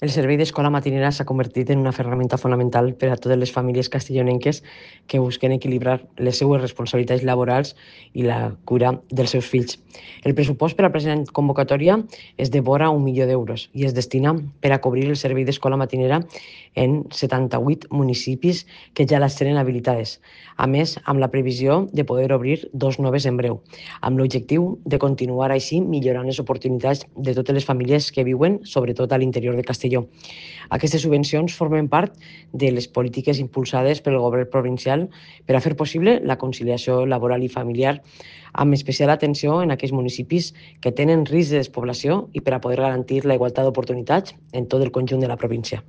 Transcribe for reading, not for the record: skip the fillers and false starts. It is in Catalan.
El servei d'escola matinera s'ha convertit en una ferramenta fonamental per a totes les famílies castellonenques que busquen equilibrar les seues responsabilitats laborals i la cura dels seus fills. El pressupost per a la present convocatòria és de vora 1 milió d'euros i es destina per a cobrir el servei d'escola matinera en 78 municipis que ja les tenen habilitades, a més amb la previsió de poder obrir 2 noves en breu, amb l'objectiu de continuar així millorant les oportunitats de totes les famílies que viuen, sobretot a l'interior de Castelló. Aquestes subvencions formen part de les polítiques impulsades pel govern provincial per a fer possible la conciliació laboral i familiar, amb especial atenció en aquells municipis que tenen risc de despoblació i per a poder garantir la igualtat d'oportunitats en tot el conjunt de la província.